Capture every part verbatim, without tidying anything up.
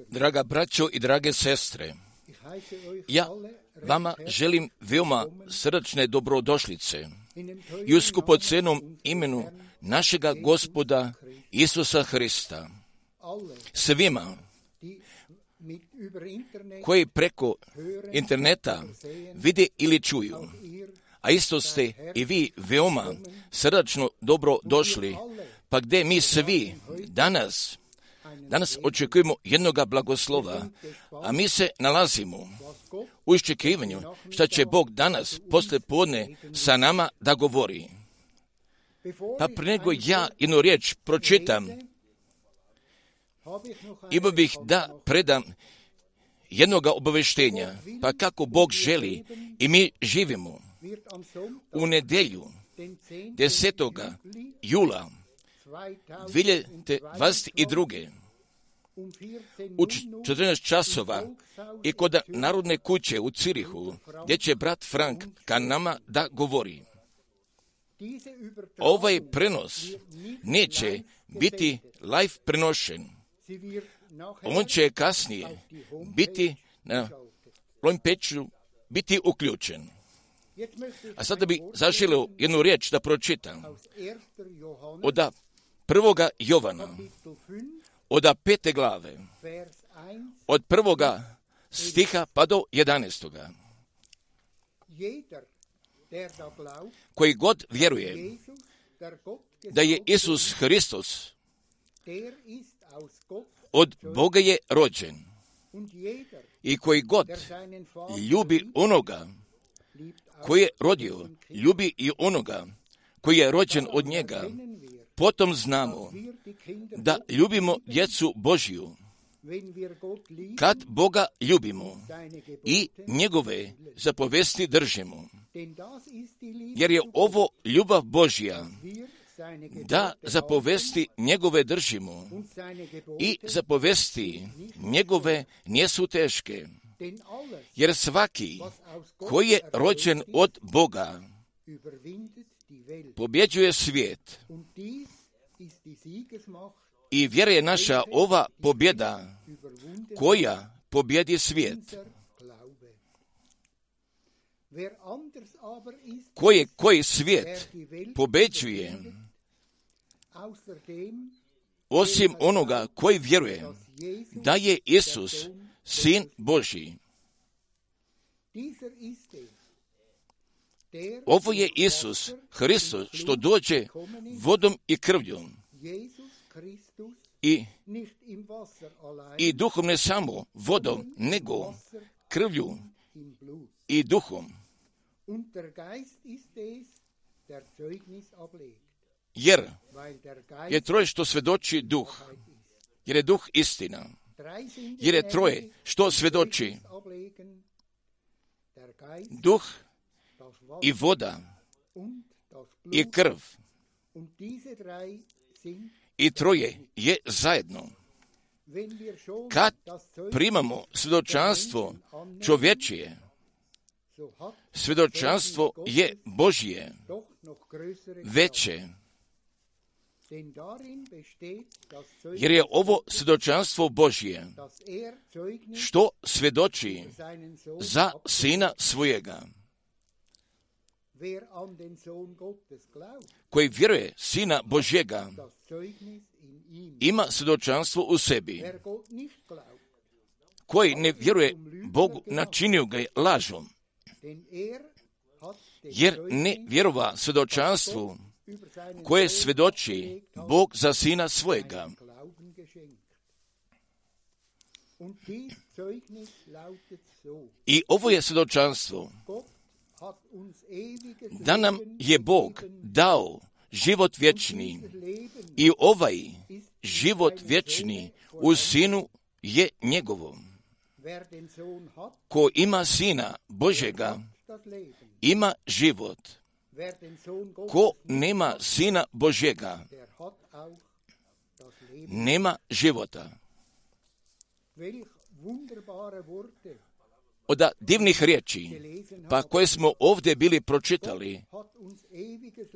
Draga braćo i drage sestre, ja vama želim veoma srdačne dobrodošlice i u skupocenom imenu našega Gospoda Isusa Hrista. Svima koji preko interneta vide ili čuju, a isto ste i vi veoma srdačno dobro došli, pa gdje mi svi danas Danas očekujemo jednoga blagoslova, a mi se nalazimo u iščekivanju šta će Bog danas posle podne sa nama da govori. Pa pre nego ja jednu riječ pročitam, imao bih da predam jednoga obaveštenja, pa kako Bog želi i mi živimo. U nedelju desetog jula dvije hiljade dvadeset druge. u četrnaest časova i kod Narodne kuće u Cirihu, gdje će brat Frank ka nama da govori. Ovaj prenos neće biti live prenošen. On će kasnije biti na Lojmpeču biti uključen. A sada bi zaželio jednu riječ da pročitam. Od prvoga Jovana, od pete glave, od prvoga stiha pa do jedanaestoga. Koji god vjeruje da je Isus Hristos od Boga je rođen i koji god ljubi onoga koji je rodio, ljubi i onoga koji je rođen od njega, potom znamo da ljubimo djecu Božju, kad Boga ljubimo i njegove zapovesti držimo. Jer je ovo ljubav Božja, da zapovesti njegove držimo i zapovesti njegove nisu teške. Jer svaki koji je rođen od Boga pobjeđuje svijet. I vjera je naša ova pobjeda koja pobjedi svijet. Koji, koji svijet pobjeđuje osim onoga koji vjeruje da je Isus Sin Božji. Ovo je Isus Hristos što dođe vodom i krvljom i, i duhom, ne samo vodom, nego krvlju i duhom. Jer je troje što svjedoči duh, jer je duh istina. Jer je troje što svjedoči duh i voda i krv. I troje je zajedno. Kad primamo svjedočanstvo čovječije, svjedočanstvo je Božje, veće. Jer je ovo svjedočanstvo Božje, što svjedoči za Sina svojega. Koji vjeruje Sina Božjega, ima svjedočanstvo u sebi. Koji ne vjeruje Bogu, načinio ga je lažom. Jer ne vjerova svjedočanstvu koje svjedoči Bog za Sina svojega. I ovo je svjedočanstvo da nam je Bog dao život vječni i ovaj život vječni u Sinu je njegovo. Ko ima Sina Božjega, ima život. Ko nema Sina Božjega, nema života. Od divnih riječi, pa koje smo ovdje bili pročitali,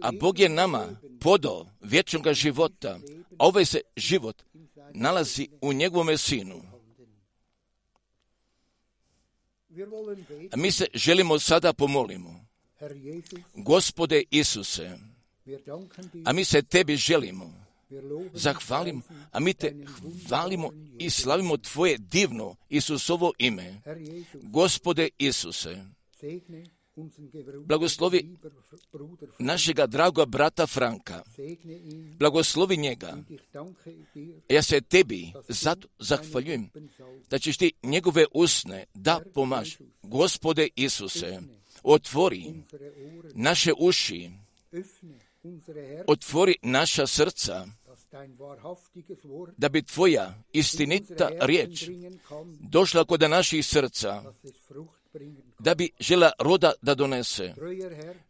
a Bog je nama podao vječnog života, a ovaj se život nalazi u njegovome Sinu. A mi se želimo sada pomolimo. Gospode Isuse, a mi se tebi želimo, zahvalimo, a mi te hvalimo i slavimo tvoje divno Isusovo ime. Gospode Isuse, blagoslovi našega dragoga brata Franka, blagoslovi njega. Ja se tebi zato zahvaljujem da ćeš ti njegove usne da pomaž. Gospode Isuse, otvori naše uši, otvori naša srca, da bi tvoja istinita riječ došla kod naših srca, da bi žela roda da donese.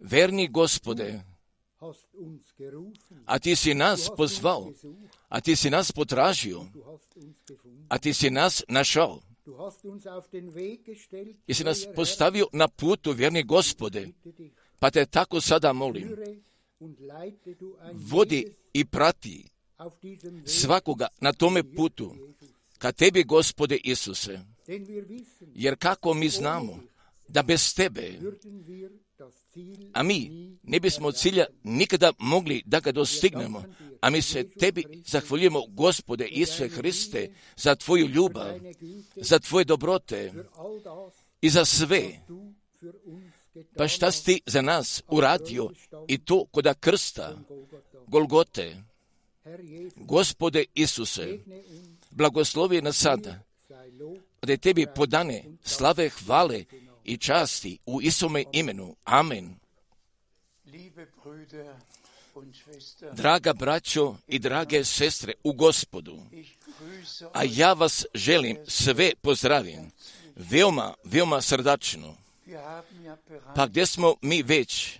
Verni Gospode, a ti si nas pozvao, a ti si nas potražio a ti si nas našao. Jesi nas postavio na putu, vjerni Gospode, pa te tako sada molim, vodi i prati svakoga na tome putu, ka tebi, Gospode Isuse, jer kako mi znamo da bez tebe, a mi ne bismo cilja nikada mogli da ga dostignemo, a mi se tebi zahvaljujemo, Gospode Isuse Hriste, za tvoju ljubav, za tvoje dobrote i za sve. Pa šta si ti za nas uradio i to koda krsta, Golgote. Gospode Isuse, blagoslovi nas sada, da je tebi podane slave, hvale i časti u Isome imenu. Amen. Draga braćo i drage sestre u Gospodu, a ja vas želim sve pozdravim, veoma, veoma srdačno. Pa gdje smo mi već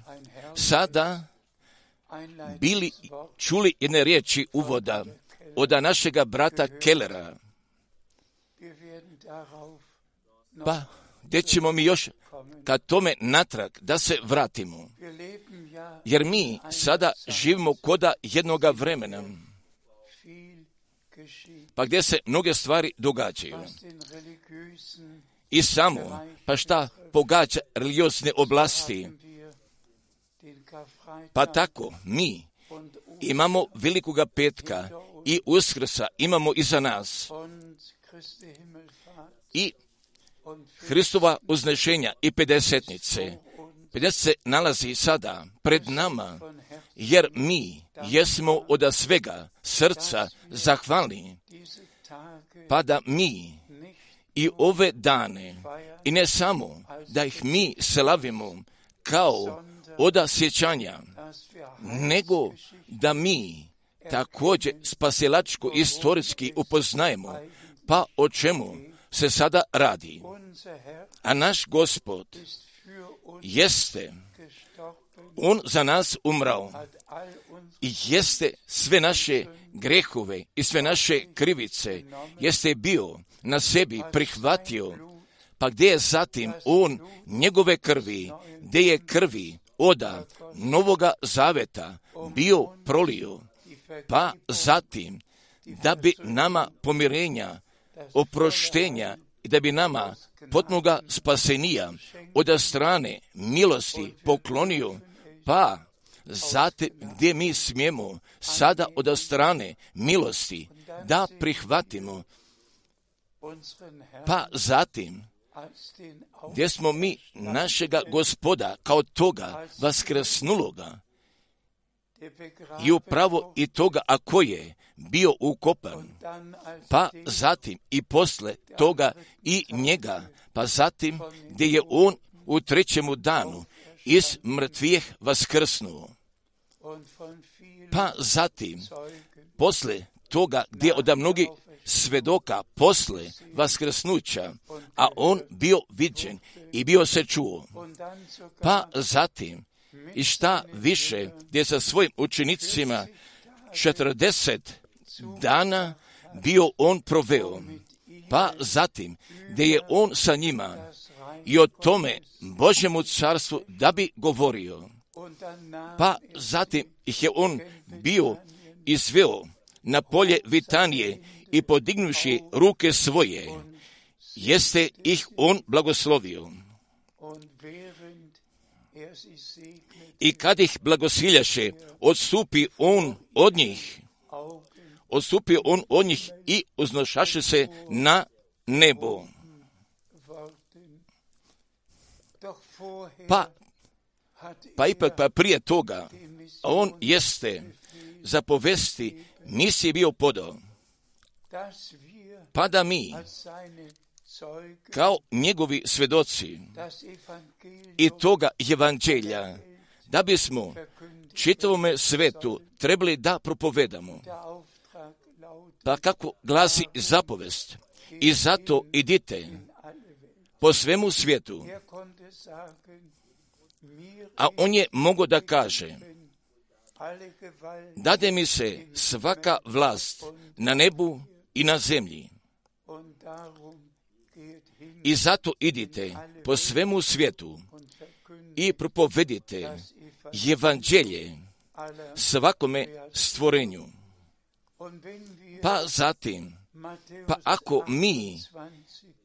sada bili čuli jedne riječi uvoda od našega brata Kellera. Pa gdje ćemo mi još ka tome natrag da se vratimo? Jer mi sada živimo koda jednoga vremena, pa gdje se mnoge stvari događaju. I samo, pa šta pogađa religiozne oblasti? Pa tako, mi imamo velikoga petka i Uskrsa imamo iza nas. I Hristova uznešenja i pedesetnice. pedeset se nalazi sada pred nama, jer mi jesmo od svega srca zahvalni, pa da mi i ove dane, i ne samo da ih mi slavimo kao oda sjećanja, nego da mi također spasilačko istorijski upoznajemo, pa o čemu se sada radi. A naš Gospod jeste, on za nas umrao i jeste sve naše grehove i sve naše krivice, jeste bio na sebi prihvatio, pa gdje je zatim on njegove krvi, gdje je krvi oda Novoga Zaveta bio prolio, pa zatim da bi nama pomirenja, oproštenja i da bi nama potpunoga spasenija od strane milosti poklonio, pa zatim gdje mi smijemo sada od strane milosti da prihvatimo, pa zatim gdje smo mi našega Gospoda kao toga vaskrsnuloga i upravo i toga ako je bio ukopan, pa zatim i posle toga i njega, pa zatim gdje je on u trećemu danu iz mrtvih vaskrsnuo, pa zatim posle toga gdje od mnogih svedoka posle vaskrsnuća, a on bio viđen i bio se čuo, pa zatim i šta više gdje sa svojim učenicima četrdeset dana bio on proveo, pa zatim gdje je on sa njima i o tome Božjemu carstvu da bi govorio, pa zatim ih je on bio izveo na polje Vitanije i podignuši ruke svoje, jeste ih on blagoslovio. I kad ih blagosiljaše, odstupi on od njih, odstupi on od njih i uznošaše se na nebo. Pa, pa ipak pa prije toga, on jeste zapovesti misije bio podao, pa da mi, kao njegovi svedoci i toga evanđelja, da bismo čitavome svetu trebali da propovedamo. Pa kako glasi zapovest, i zato idite po svemu svijetu. A on je mogao da kaže, dade mi se svaka vlast na nebu i na zemlji. I zato idite po svemu svijetu i propovedite evanđelje svakome stvorenju. Pa zatim, pa ako mi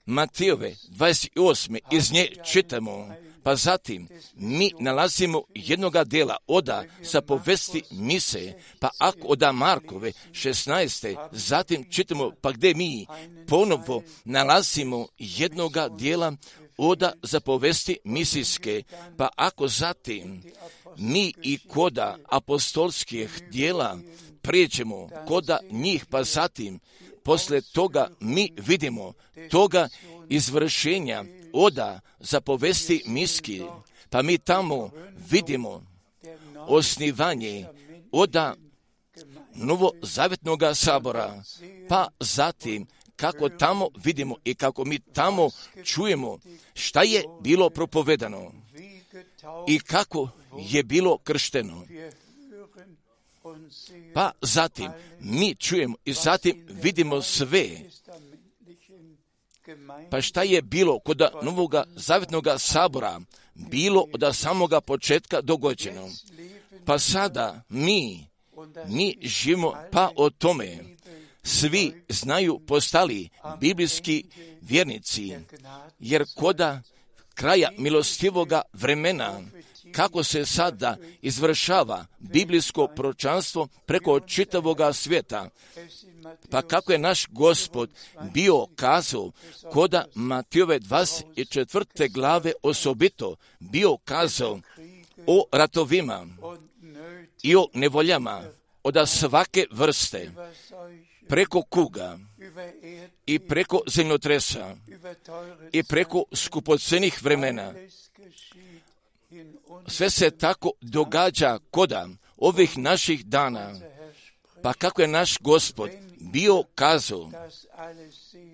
Matejove dvadeset osme iz nje čitamo, pa zatim mi nalazimo jednoga dela oda sa povesti mise, pa ako oda Markove šesnaeste, zatim čitamo pa gdje mi ponovo nalazimo jednoga dijela oda za povesti misijske, pa ako zatim mi i koda apostolskih dijela prijeđemo koda njih, pa zatim posle toga mi vidimo toga izvršenja oda za povesti miski, pa mi tamo vidimo osnivanje oda novozavjetnoga sabora, pa zatim kako tamo vidimo i kako mi tamo čujemo šta je bilo propovedano i kako je bilo kršteno. Pa zatim mi čujemo i zatim vidimo sve. Pa šta je bilo kod novoga zavjetnoga sabora, bilo od samoga početka dogođeno. Pa sada mi, mi živimo pa o tome. Svi znaju postali biblijski vjernici, jer koda kraja milostivoga vremena, kako se sada izvršava biblijsko proročanstvo preko čitavoga svijeta, pa kako je naš Gospod bio kazao koda Matejove dvadeset četvrte glave osobito bio kazao o ratovima i o nevoljama od svake vrste, preko kuga i preko zemljotresa i preko skupocenih vremena. Sve se tako događa koda ovih naših dana, pa kako je naš Gospod bio kazao,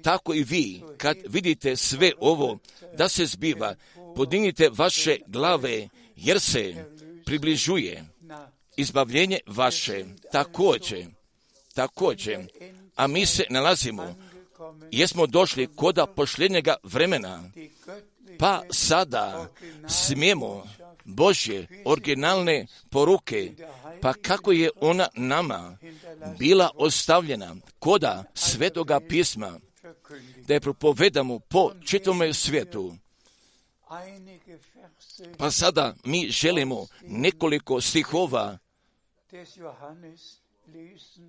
tako i vi, kad vidite sve ovo da se zbiva, podignite vaše glave, jer se približuje izbavljenje vaše. Također, također, a mi se nalazimo, jesmo došli koda posljednjega vremena, pa sada smijemo Božje originalne poruke, pa kako je ona nama bila ostavljena koda Svetoga pisma, da je propovedamo po čitavome svijetu. Pa sada mi želimo nekoliko stihova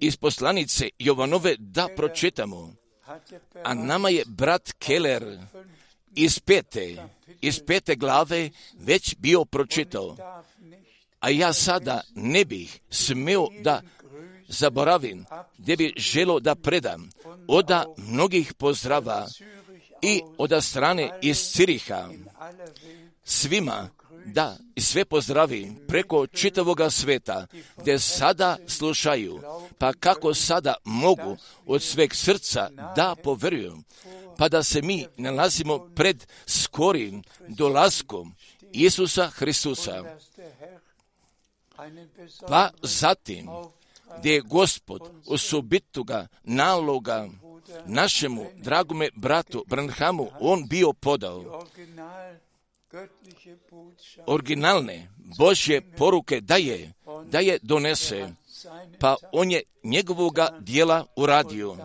iz poslanice Jovanove da pročitamo, a nama je brat Keller iz pete, iz pete glave već bio pročitao, a ja sada ne bih smio da zaboravim, gdje bi želio da predam oda mnogih pozdrava i od strane iz Ciriha svima, da i sve pozdravim preko čitavoga sveta, gdje sada slušaju, pa kako sada mogu od sveg srca da poveruju, pa da se mi nalazimo pred skorim dolaskom Isusa Hristusa. Pa zatim, gdje je Gospod osobitoga naloga našemu dragome bratu Branhamu, on bio podao originalne Božje poruke da je, da je donese, pa on je njegovoga dijela uradio.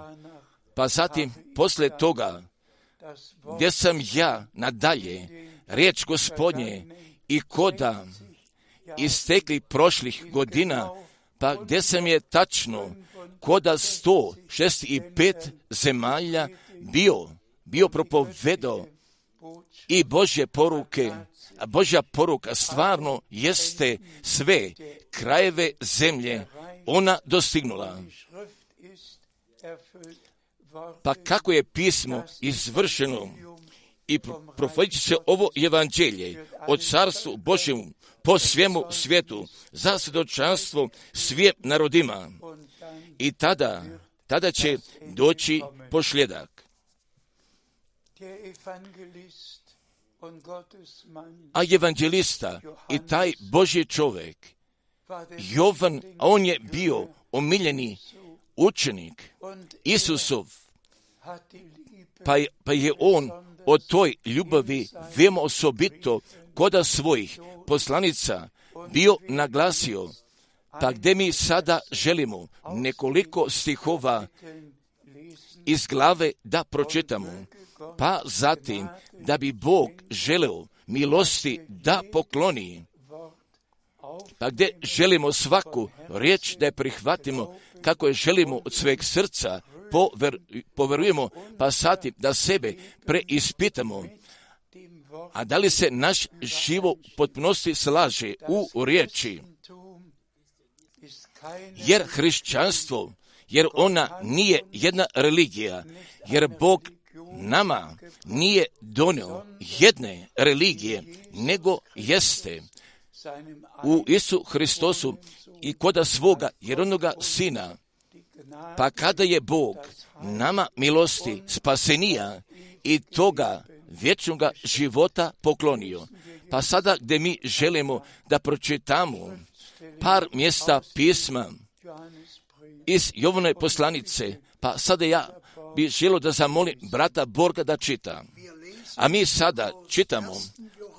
Pa zatim, posle toga, gdje sam ja nadalje riječ Gospodnje i koda istekli prošlih godina, pa gdje sam je tačno koda sto šezdeset pet zemalja bio, bio propovedao i Božje poruke, a Božja poruka stvarno jeste sve krajeve zemlje ona dostignula. Pa kako je pismo izvršeno i profetiće se ovo evanđelje od carstvu Božjemu po svemu svijetu za svjedočanstvo svim narodima. I tada, tada će doći posljedak. A evanđelista i taj Božji čovjek, Jovan, a on je bio omiljeni učenik Isusov pa je, pa je on o toj ljubavi veoma osobito koda svojih poslanica bio naglasio, pa gdje mi sada želimo nekoliko stihova iz glave da pročitamo, pa zatim da bi Bog želeo milosti da pokloni, pa gdje želimo svaku riječ da je prihvatimo kako je želimo od sveg srca, pover, poverujemo, pa zatim da sebe preispitamo, a da li se naš život u potpunosti slaže u riječi. Jer hrišćanstvo, jer ona nije jedna religija, jer Bog nama nije donio jedne religije, nego jeste u Isu Hristosu i koda svoga jednoga Sina. Pa kada je Bog nama milosti spasenija i toga vječnoga života poklonio, pa sada gdje mi želimo da pročitamo par mjesta pisma iz Jovanove poslanice, pa sada ja bih želio da zamolim brata Borga da čita. A mi sada čitamo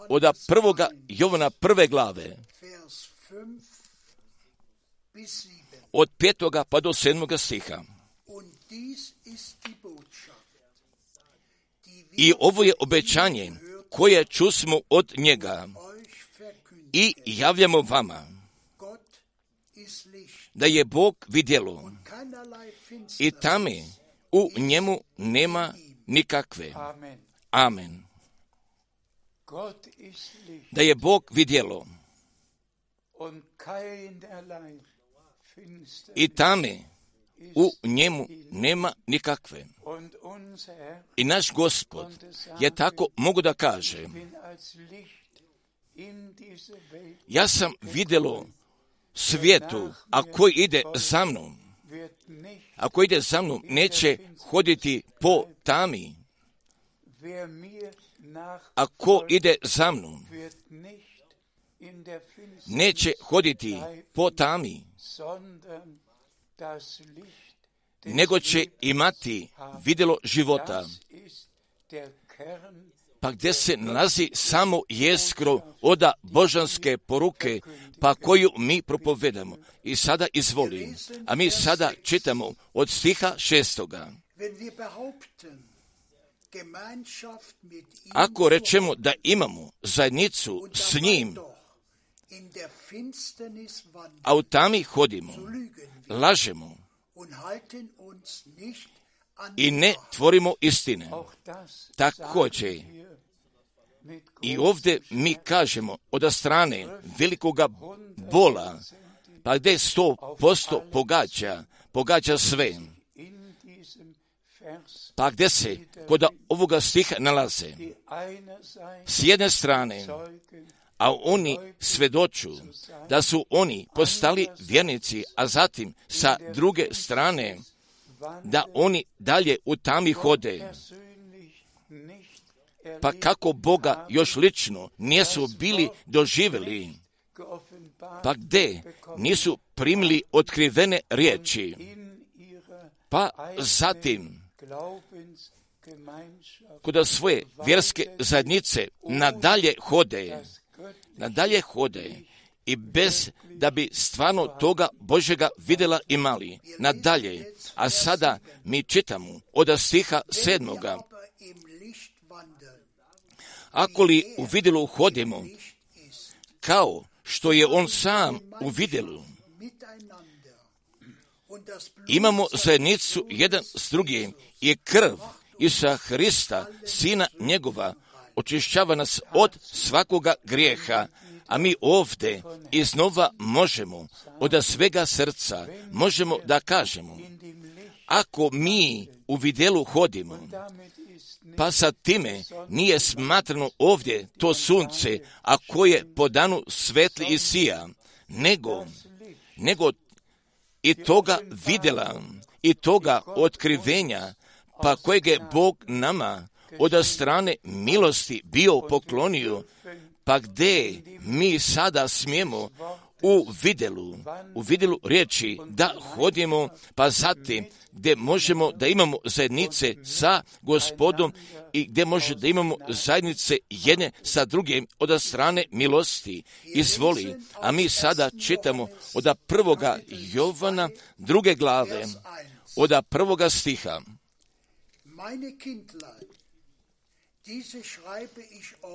od prvoga Jovana prve glave, od petoga pa do sedmoga stiha. I ovo je obećanje koje čusmo od njega i javljamo vama, da je Bog vidjelo i tame u njemu nema nikakve. Amen. Da je Bog vidjelo i tame u njemu nema nikakve. I naš Gospod je tako mogu da kaže, ja sam vidjelo svijetu, a koji ide za mnom, a koji ide za mnom, neće hoditi po tami. A ko ide za mnom, neće hoditi po tami, nego će imati vidjelo života. Pa gdje se nalazi samo jeskro oda božanske poruke, pa koju mi propovedamo. I sada izvoli, a mi sada čitamo od stiha šestoga. Ako rečemo da imamo zajednicu s njim, a u tami hodimo, lažemo i ne tvorimo istine. Također, i ovdje mi kažemo od strane velikoga bola, pa gdje sto posto pogađa, pogađa sve. Pa gdje se kod ovoga stiha nalaze s jedne strane, a oni svedoču da su oni postali vjernici, a zatim sa druge strane da oni dalje u tami hode. Pa kako Boga još lično nisu bili doživjeli, pa gdje nisu primili otkrivene riječi, pa zatim kod svoje vjerske zajednice nadalje hode, nadalje hode i bez da bi stvarno toga Božega vidjela imali. Nadalje, a sada mi čitamo od stiha sedmoga. Ako li u vidjelu hodimo, kao što je on sam u vidjelu, imamo zajednicu jedan s drugim i krv Isusa Hrista, Sina njegova, očišćava nas od svakoga grijeha, a mi ovdje iznova možemo od svega srca, možemo da kažemo, ako mi u vidjelu hodimo, pa sa time nije smatrano ovdje to sunce, a koje po danu svetli i sija, nego, nego i toga vidjela, i toga otkrivenja, pa kojeg je Bog nama od strane milosti bio poklonio, pa gdje mi sada smijemo u vidjelu, u vidjelu riječi da hodimo, pa zatim gdje možemo da imamo zajednice sa Gospodom i gdje može da imamo zajednice jedne sa drugim od strane milosti. Izvoli, a mi sada čitamo od prvoga Jovana druge glave, od prvoga stiha.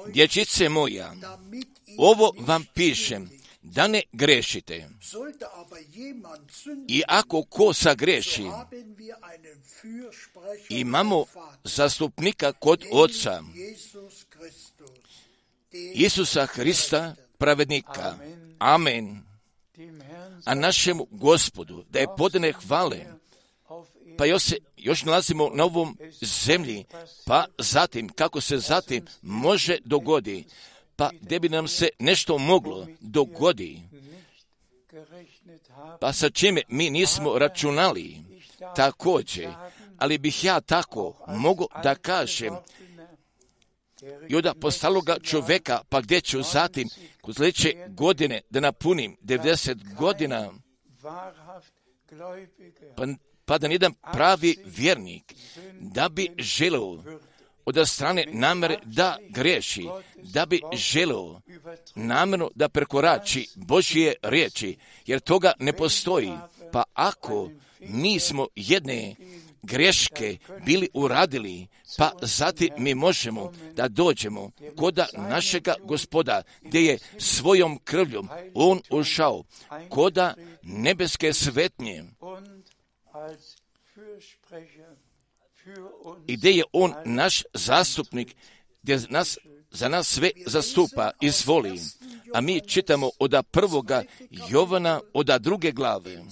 Dječice moja, ovo vam pišem, da ne grešite. I ako ko sagreši, imamo zastupnika kod Oca, Isusa Hrista, pravednika. Amen. A našemu Gospodu da je podane hvale. Pa još se još nalazimo na ovom zemlji, pa zatim, kako se zatim može dogodi, pa gdje bi nam se nešto moglo dogodi, pa sa čime mi nismo računali, također, ali bih ja tako mogu da kažem, i od postaloga čovjeka, pa gdje ću zatim, kod sljedeće godine, da napunim devedeset godina, pa pa da nijedan pravi vjernik da bi želeo od strane namere da griješi, da bi želeo namjerno da prekorači Božje riječi, jer toga ne postoji. Pa ako mi smo jedne greške bili uradili, pa zatim mi možemo da dođemo kod našega Gospoda, gdje je svojom krvljom on ušao kod nebeske svetnje, i gdje je on naš zastupnik, gdje nas, za nas sve zastupa. Izvoli, a mi čitamo od prvoga Jovana, od druge glave,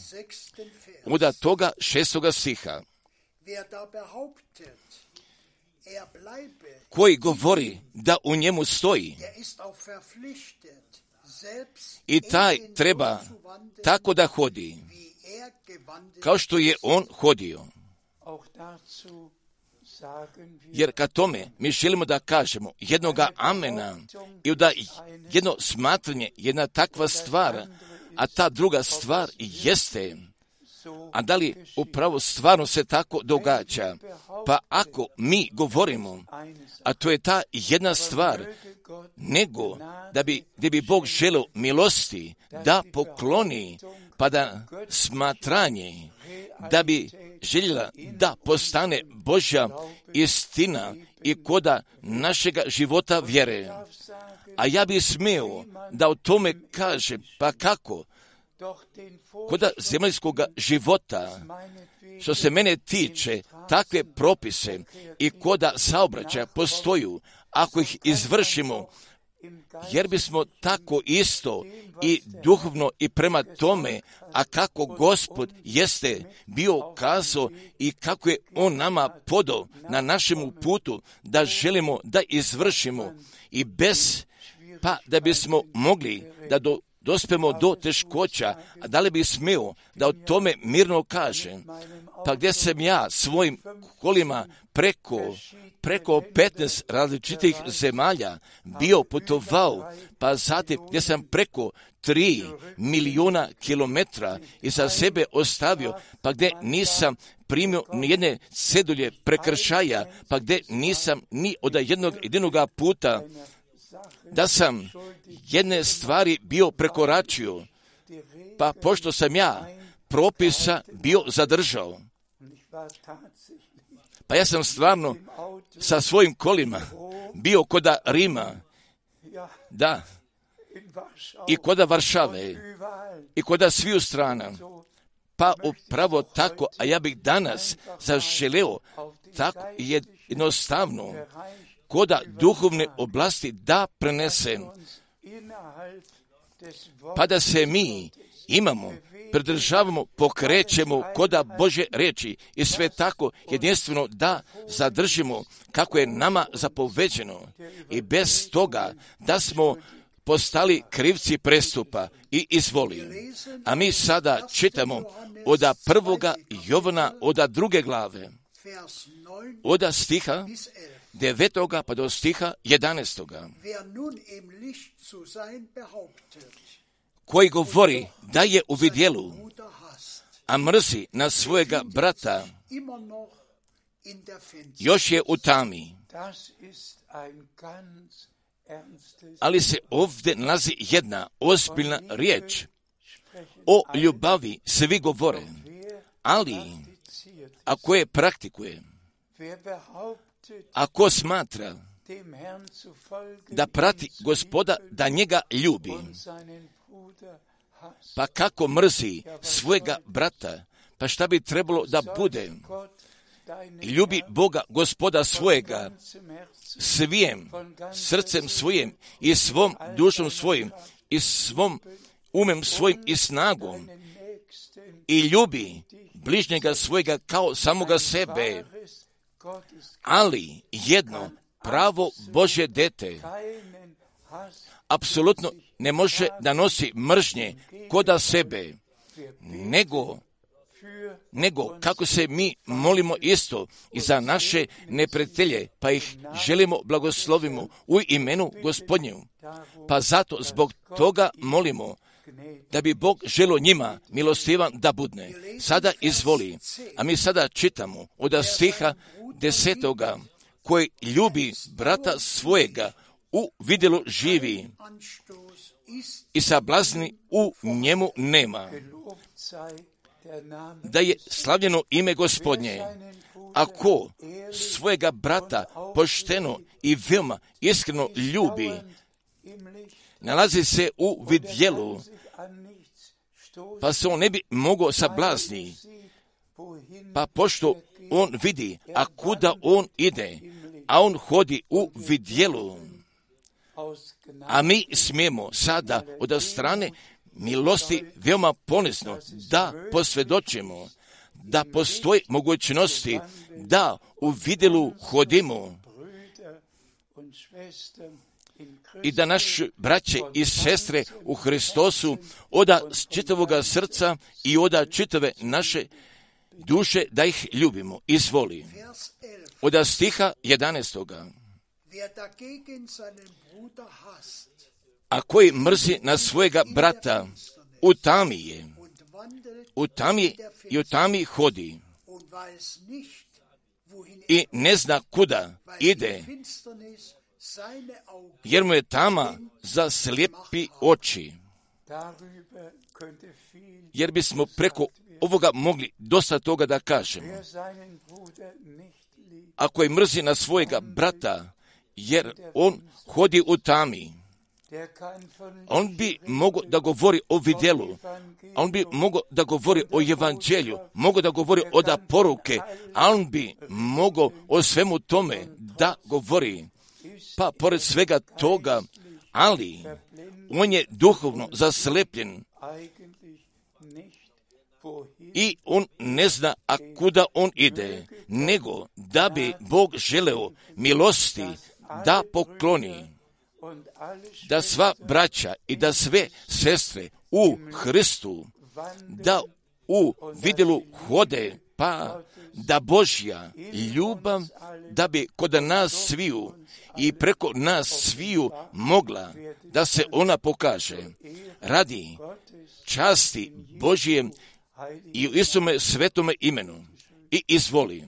od toga šestoga stiha. Koji govori da u njemu stoji, i taj treba tako da hodi, kao što je on hodio. Jer ka tome mi želimo da kažemo jednoga amena i da jedno smatranje, jedna takva stvar, a ta druga stvar jeste, a da li upravo stvarno se tako događa? Pa ako mi govorimo, a to je ta jedna stvar, nego da bi, gdje bi Bog želeo milosti da pokloni, pa da smatranje, da bi željela da postane Božja istina i koda našega života vjere. A ja bi smio da o tome kaže, pa kako? Koda zemaljskog života, što se mene tiče, takve propise i koda saobraćaja postoju, ako ih izvršimo, jer bismo tako isto i duhovno i prema tome, a kako Gospod jeste bio kazao i kako je on nama podao na našemu putu da želimo da izvršimo i bez, pa da bismo mogli da do dospemo do teškoća, a da li bi smio da o tome mirno kažem, pa gdje sam ja svojim kolima preko, preko petnaest različitih zemalja bio putovao, pa zatim gdje sam preko tri milijuna kilometra iza sebe ostavio, pa gdje nisam primio nijedne cedulje prekršaja, pa gdje nisam ni od jednog jedinoga puta da sam jedne stvari bio prekoračio, pa pošto sam ja propisa bio zadržao, pa ja sam stvarno sa svojim kolima bio koda Rima, da, i koda Varšave, i koda sviju strana, pa upravo tako, a ja bih danas zaželeo tako jednostavno koda duhovne oblasti da prenesem, pa da se mi imamo, pridržavamo, pokrećemo koda Božje riječi i sve tako jedinstveno da zadržimo kako je nama zapoveđeno i bez toga da smo postali krivci prestupa i izvoli. A mi sada čitamo od prvoga Jovana, od druge glave, od stiha devetoga pa do stiha jedanaestoga. koji govori da je u vidjelu, a mrzi na svojega brata, još je u tami. Ali se ovdje nalazi jedna ozbiljna riječ. O ljubavi svi govore, ali ako je praktikuje, ako smatra da prati Gospoda, da njega ljubi, pa kako mrzi svojega brata, pa šta bi trebalo da bude? Ljubi Boga, Gospoda svojega, svim srcem svojim i svom dušom svojim i svom umem svojim i snagom i ljubi bližnjega svojega kao samoga sebe. Ali jedno pravo Božje dete apsolutno ne može da nosi mržnje koda sebe, nego nego kako se mi molimo isto i za naše neprijatelje, pa ih želimo blagoslovimo u imenu Gospodnju. Pa zato zbog toga molimo da bi Bog želio njima milostivan da budne. Sada izvoli, a mi sada čitamo od stiha desetoga, koji ljubi brata svojega, u vidjelu živi i sablazni u njemu nema. Da je slavljeno ime Gospodnje. Ako svojega brata pošteno i veoma iskreno ljubi, nalazi se u vidjelu, pa se on ne bi mogao sablazni. Pa pošto on vidi, a kuda on ide, a on hodi u vidjelu, a mi smijemo sada od strane milosti veoma ponizno da posvjedočimo da postoji mogućnosti da u vidjelu hodimo i da naši braće i sestre u Hristosu oda čitavoga srca i oda čitave naše duše da ih ljubimo. Izvoli. Od stiha jedanaestoga. A koji mrzi na svojega brata, u tami je, u tami i u tami hodi i ne zna kuda ide, jer mu je tama za slijepi oči. Jer bismo preko ovoga mogli dosta toga da kažemo. Ako je mrzi na svojega brata, jer on hodi u tami, on bi mogao da govori o vidjelu, on bi mogao da govori o evanđelju, mogao da govori o da poruke, a on bi mogao o svemu tome da govori. Pa pored svega toga, ali on je duhovno zaslepljen i on ne zna a kuda on ide, nego da bi Bog želeo milosti da pokloni, da sva braća i da sve sestre u Hristu, da u vidjelu hode, pa da Božja ljubav, da bi kod nas sviju i preko nas sviju mogla da se ona pokaže radi časti Božje i u istome svetome imenu. I izvoli.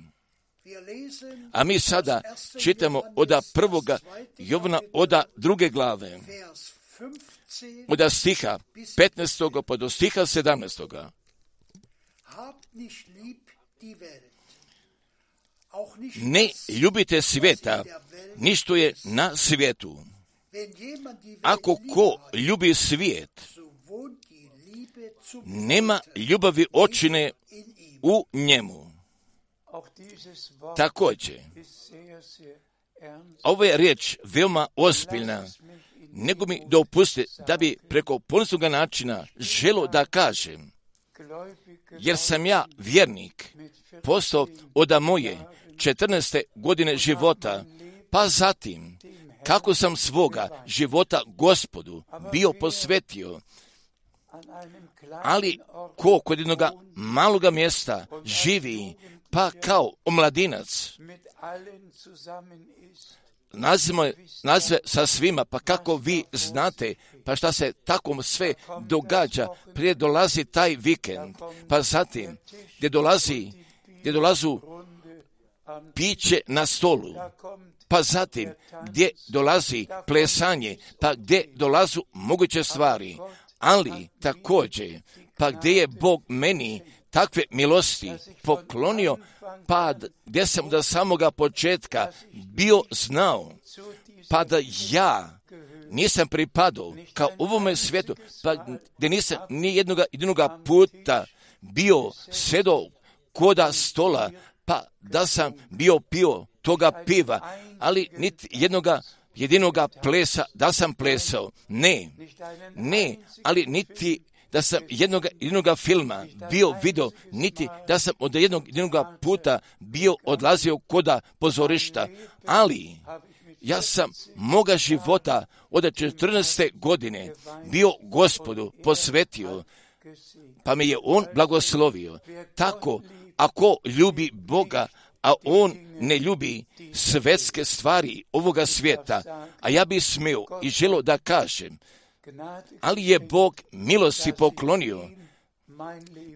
A mi sada čitamo od prvoga Jovana, od druge glave, od stiha petnaestoga pa do stiha sedamnaestoga. Ne ljubite svijeta, ništo je na svijetu. Ako ko ljubi svijet, nema ljubavi očine u njemu. Također, ova je riječ veoma ozbiljna, nego mi dopusti da bi preko poniznog načina želo da kažem, jer sam ja vjernik postao od moje četrnaeste godine života, pa zatim kako sam svoga života Gospodu bio posvetio, ali ko kod jednog maloga mjesta živi, pa kao omladinac, nazve, nazve sa svima, pa kako vi znate, pa šta se tako sve događa, prije dolazi taj vikend, pa zatim gdje dolazi, gdje dolazu piće na stolu, pa zatim gdje dolazi plesanje, pa gdje dolazu moguće stvari, ali također, pa gdje je Bog meni takve milosti poklonio, pa gdje sam do samoga početka bio znao, pa da ja nisam pripadao kao ovome svijetu, pa gdje nisam ni jednoga jedinoga puta bio sedao koda stola, pa da sam bio pio toga piva, ali niti jednoga jedinoga plesa da sam plesao. Ne, ne, ali niti da sam jednoga, jednoga filma bio video, niti da sam od jednog jednoga puta bio odlazio koda pozorišta, ali ja sam moga života od četrnaeste godine bio Gospodu posvetio, pa me je On blagoslovio. Tako, ako ljubi Boga, a on ne ljubi svetske stvari ovoga svijeta, a ja bi smio i želio da kažem, ali je Bog milosti poklonio,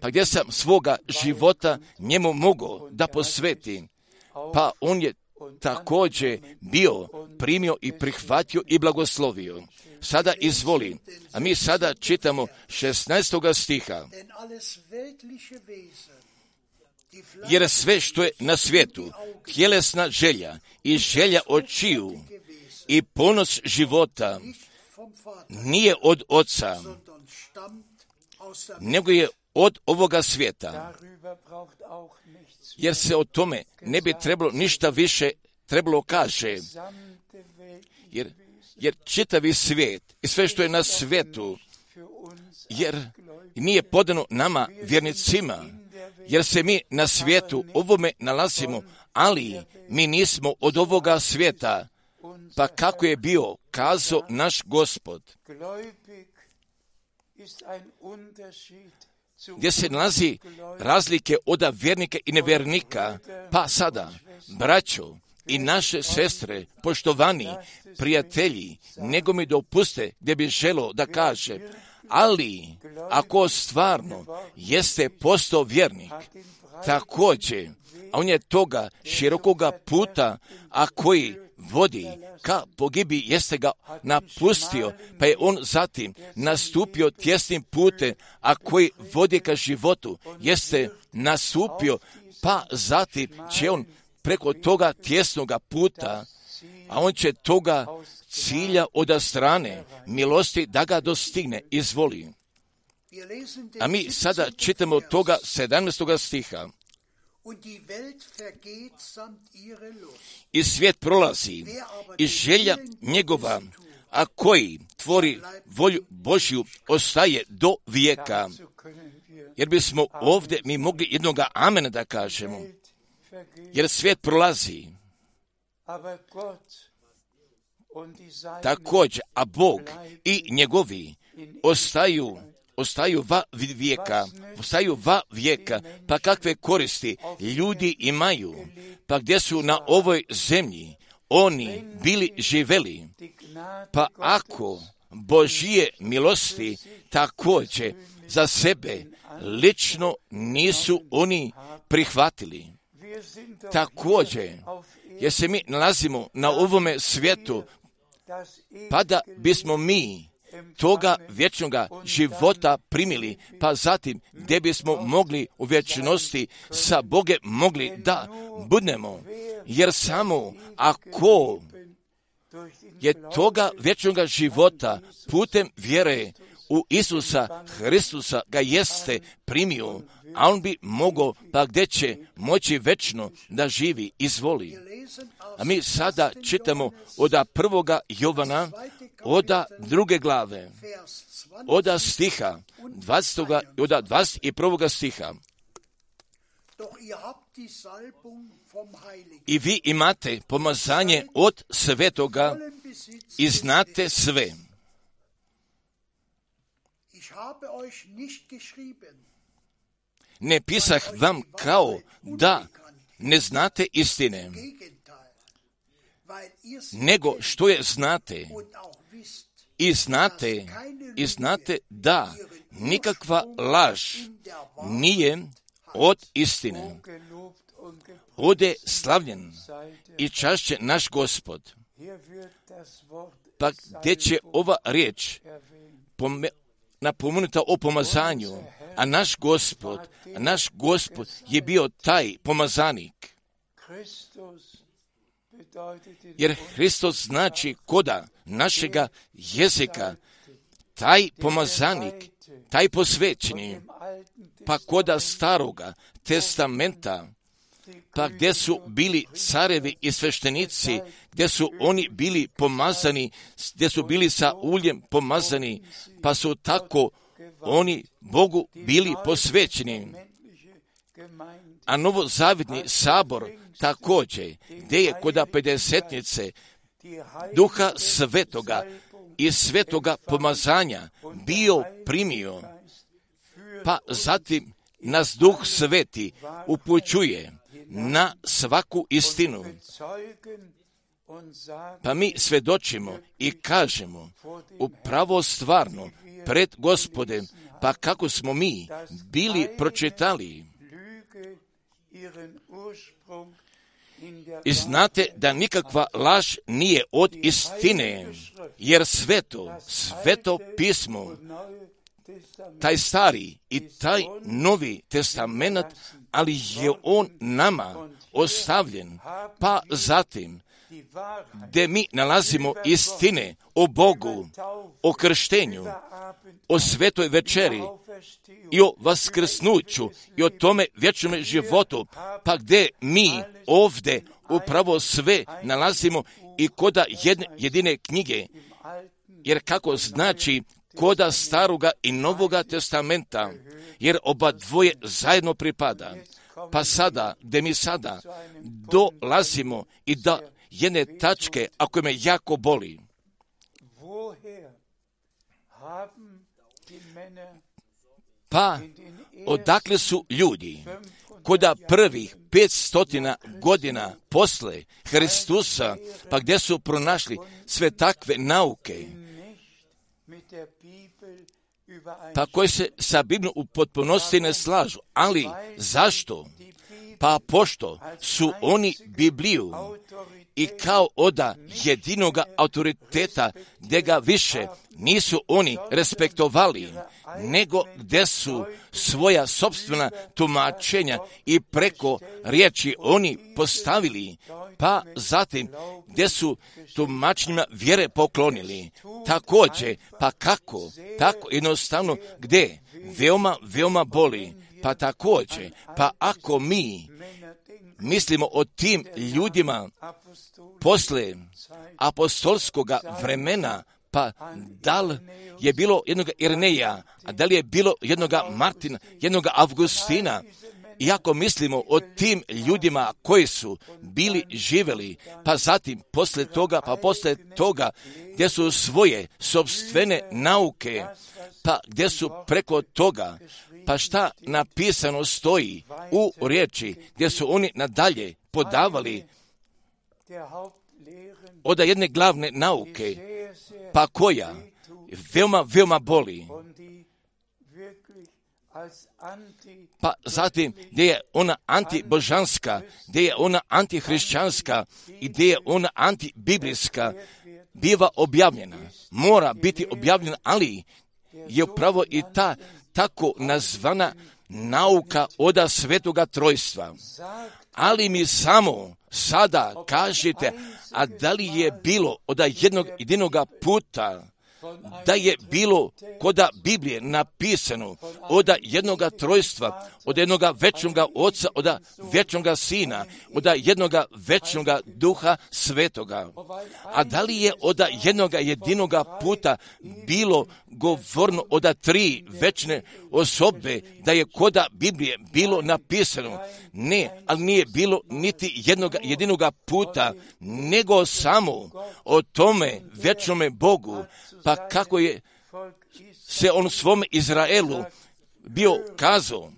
pa gdje sam svoga života njemu mogao da posvetim, pa on je također bio, primio i prihvatio i blagoslovio. Sada izvoli, a mi sada čitamo šesnaestoga stiha. Jer sve što je na svijetu, tjelesna želja i želja očiju i ponos života, nije od Oca, nego je od ovoga svijeta. Jer se o tome ne bi trebalo ništa više trebalo kaže. Jer, jer čitavi svijet i sve što je na svijetu, jer nije podano nama vjernicima, jer se mi na svijetu ovome nalazimo, ali mi nismo od ovoga svijeta, pa kako je bio kazao naš Gospod, gdje se nalazi razlike od vjernika i nevjernika, pa sada, braćo i naše sestre, poštovani prijatelji, nego mi dopuste gdje bi želio da kaže, ali ako stvarno jeste postao vjernik, također, a on je toga širokoga puta, a koji vodi ka pogibi, jeste ga napustio, pa je on zatim nastupio tjesnim putem, a koji vodi ka životu, jeste nastupio, pa zatim će on preko toga tjesnoga puta, a on će toga cilja od strane milosti da ga dostigne, izvoli. A mi sada čitamo toga sedamnaestoga stiha. I svijet prolazi i želja njegova, a koji tvori volju Božju, ostaje do vijeka. Jer bismo ovdje mi mogli jednoga amena da kažemo. Jer svijet prolazi. Također, a Bog i njegovi ostaju ostaju va vijeka, ostaju va vijeka, pa kakve koristi ljudi imaju, pa gdje su na ovoj zemlji oni bili živeli, pa ako Božije milosti također za sebe lično nisu oni prihvatili. Također, jer se mi nalazimo na ovome svijetu, pa da bismo mi toga vječnoga života primili, pa zatim gdje bismo mogli u vječnosti sa Bogom mogli da budemo, jer samo ako je toga vječnoga života putem vjere u Isusa Hristusa ga jeste primio, a on bi mogao, pa gdje će moći večno da živi, izvoli. A mi sada čitamo od prvoga Jovana, od druge glave, od stiha, dvadesetoga i od dvadeset prvoga stiha. I vi imate pomazanje od svetoga i znate sve. Ne pisah vam kao da ne znate istine, nego što je znate. I znate, i znate da nikakva laž nije od istine. Ode slavljen i čašće naš Gospod. Pa gdje će ova riječ pome, napomenuta o pomazanju, a naš Gospod, a naš Gospod je bio taj pomazanik. Jer Hristos znači koda našega jezika, taj pomazanik, taj posvećeni, pa koda staroga testamenta, pa gdje su bili carevi i sveštenici, gdje su oni bili pomazani, gdje su bili sa uljem pomazani, pa su tako oni Bogu bili posvećeni. A novozavjetni sabor također, gdje je koda pedesetnice Duha Svetoga i svetoga pomazanja bio primio, pa zatim nas Duh Sveti upućuje na svaku istinu. Pa mi svjedočimo i kažemo upravo stvarno pred Gospodem, pa kako smo mi bili pročitali. I znate da nikakva laž nije od istine, jer sveto, sveto pismo, taj stari i taj novi testament, ali je on nama ostavljen, pa zatim gdje mi nalazimo istine o Bogu, o krštenju, o svetoj večeri i o vaskrsnuću i o tome vječnom životu, pa gdje mi ovdje upravo sve nalazimo i koda jedne, jedine knjige, jer kako znači koda staroga i novoga testamenta, jer oba dvoje zajedno pripada. Pa sada, gdje mi sada dolazimo i da jedne tačke, ako me jako boli, pa odakle su ljudi koda prvih petstotina godina posle Hristusa, pa gdje su pronašli sve takve nauke, pa koji se sa Biblijom u potpunosti ne slažu. Ali zašto? Pa pošto su oni Bibliju i kao oda jedinoga autoriteta, gdje ga više nisu oni respektovali, nego gdje su svoja sopstvena tumačenja i preko riječi oni postavili, pa zatim gdje su tumačenjima vjere poklonili. Također, pa kako? Tako jednostavno, gdje? Veoma, veoma boli. Pa također, pa ako mi mislimo o tim ljudima posle apostolskoga vremena, pa da li je bilo jednog Irneja, a da li je bilo jednog Martina, jednog Avgustina, i ako mislimo o tim ljudima koji su bili živjeli, pa zatim posle toga, pa posle toga, gdje su svoje sopstvene nauke, pa gdje su preko toga, pa šta napisano stoji u riječi, gdje su oni nadalje podavali od jedne glavne nauke, pa koja veoma, veoma boli. Pa zatim gdje je ona antibožanska, gdje je ona antihrišćanska i gdje je ona antibiblijska, biva objavljena. Mora biti objavljena, ali je upravo i ta tako nazvana nauka oda svetoga trojstva. Ali mi samo sada kažete, a da li je bilo od jednog jedinoga puta, da je bilo koda Biblije napisano od jednoga trojstva, od jednoga večnoga Oca, od večnoga Sina, od jednoga večnoga Duha Svetoga. A da li je od jednoga jedinoga puta bilo govorno od tri večne osobe, da je koda Biblije bilo napisano? Ne, ali nije bilo niti jednoga jedinoga puta, nego samo o tome večnome Bogu. Pa kako je se on svome Izraelu bio kazao,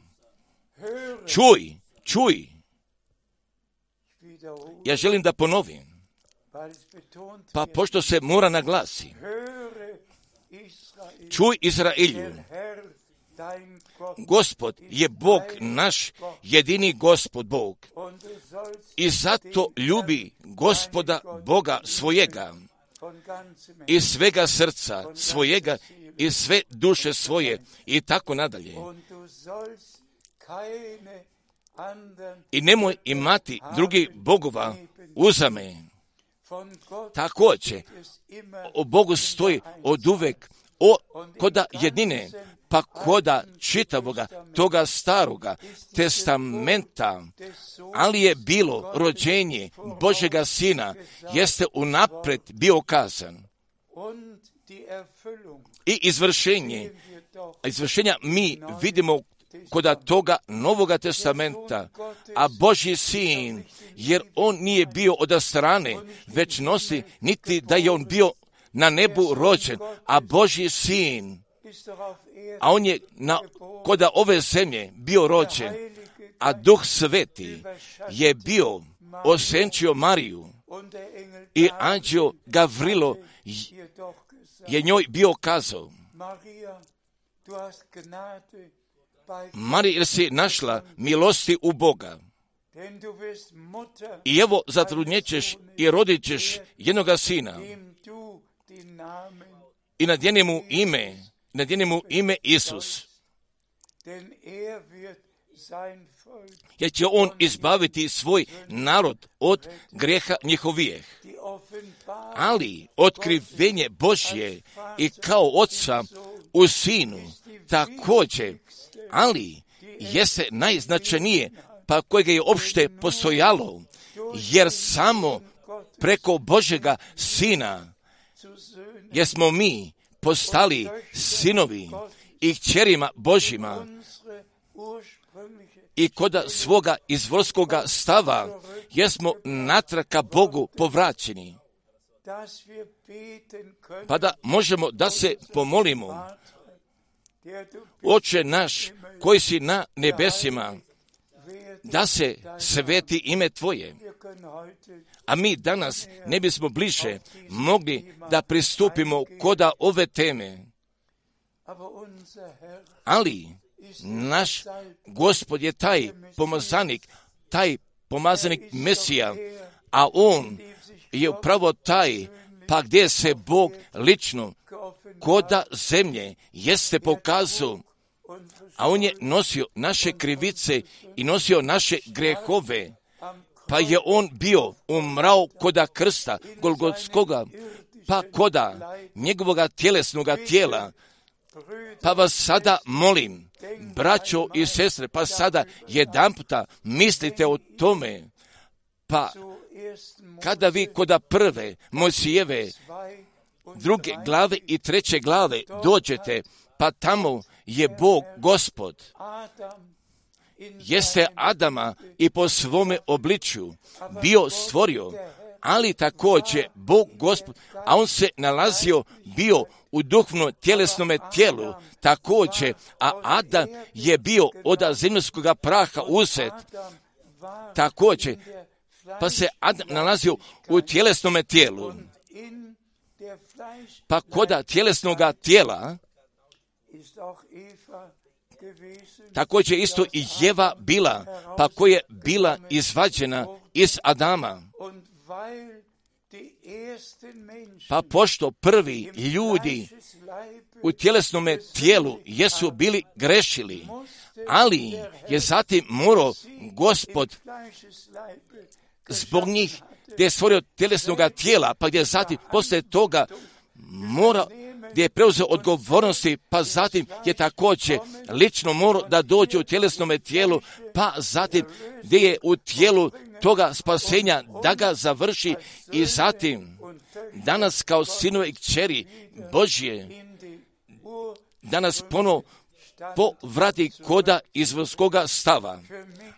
čuj, čuj. Ja želim da ponovim. Pa pošto se mora naglasi, čuj Izraelju, Gospod je Bog naš, jedini Gospod Bog. I zato ljubi Gospoda Boga svojega, iz svega srca svojega, iz sve duše svoje i tako nadalje. I nemoj imati drugih bogova uzame. Također, o Bogu stoji od uvek o, koda jedine, pa koda čitavoga toga staroga testamenta, ali je bilo rođenje Božega Sina, jeste unapred bio kazan. I izvršenje, izvršenja mi vidimo koda toga Novoga testamenta, a Božji Sin, jer on nije bio od strane, već nosi, niti da je on bio na nebu rođen, a Božji Sin, a on je na, koda ove zemlje bio rođen, a Duh Sveti je bio osenčio Mariju i anđeo Gavrilo je njoj bio kazao: Marija, jer si našla milosti u Boga. I evo zatrudnjećeš i rodit ćeš jednoga sina i nadjeni mu ime, nadjeni mu ime Isus. Jer će on izbaviti svoj narod od grijeha njihovijeh. Ali otkrivenje Božje i kao Oca u Sinu također, ali jeste najznačajnije, pa kojega je opšte postojalo, jer samo preko Božega Sina jesmo mi postali sinovi i kćerima Božjima i koda svoga izvorskoga stava jesmo natrag ka Bogu povraćeni, pa da možemo da se pomolimo: Oče naš koji si na nebesima, da se sveti ime Tvoje. A mi danas ne bismo bliže mogli da pristupimo koda ove teme. Ali naš Gospod je taj pomazanik, taj pomazanik Mesija, a on je upravo taj, pa gdje se Bog lično koda zemlje jeste pokazao, a on je nosio naše krivice i nosio naše grehove, pa je on bio umrao koda krsta Golgotskoga, pa koda njegovoga tjelesnoga tijela. Pa vas sada molim, braćo i sestre, pa sada jedanputa mislite o tome, pa kada vi koda prve Mojsijeve druge glave i treće glave dođete, pa tamo je Bog Gospod, jeste Adama i po svome obličju bio stvorio, ali također Bog Gospod, a on se nalazio bio u duhovno tjelesnome tijelu također, a Adam je bio od zemaljskoga praha uzet također, pa se Adam nalazio u tjelesnome tijelu. Pa koda tjelesnoga tijela također isto i Jeva bila, pa koja je bila izvađena iz Adama. Pa pošto prvi ljudi u tjelesnome tijelu jesu bili grešili, ali je zatim morao Gospod zbog njih gdje je stvorio tjelesnoga tijela, pa gdje je zatim poslije toga mora, gdje je preuzeo odgovornosti, pa zatim je također lično morao da dođe u tjelesnome tijelu, pa zatim gdje je u tijelu toga spasenja da ga završi i zatim danas kao sinove i kćeri Božje danas ponovo povrati koda izvorskoga stava.